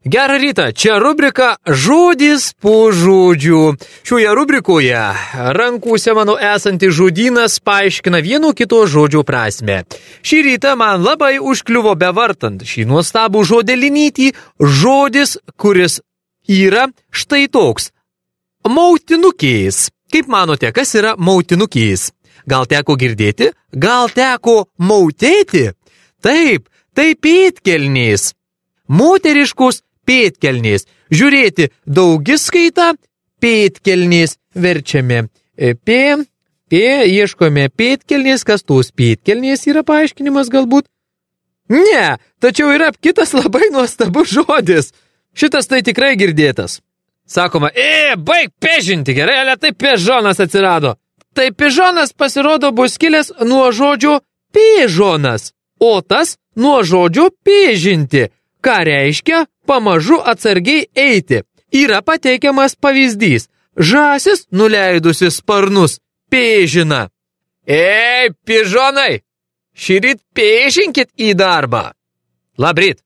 Gerą rytą, čia rubrika Žodis po žodžių. Šioje rubrikoje rankose mano esantis žodynas paaiškina vieno kito žodžio prasme. Šį rytą man labai užkliuvo bevartant šį nuostabų žodelinytį žodis, kuris yra štai toks. Mautinukės. Kaip manote, kas yra mautinukės? Gal teko girdėti? Gal teko mautėti? Taip, tai pėdkelnės. Moteriškos pėdkelnės. Žiūrėti daugiskaitą, pėdkelnės verčiame. Ieškome pėdkelnės, kas tos pėdkelnės yra paaiškinimas galbūt? Ne, tačiau yra kitas labai nuostabus žodis. Šitas tai tikrai girdėtas. Sakoma, baig pežinti, gerai, ale tai pežonas atsirado. Tai pežonas pasirodo bus kilęs nuo žodžio pežonas, o tas nuo žodžio pežinti. Ką reiškia pamažu atsargiai eiti. Yra pateikiamas pavyzdys. Žąsis nuleidusi sparnus pėžina. Pižonai, šįryt pėžinkit į darbą. Labryt.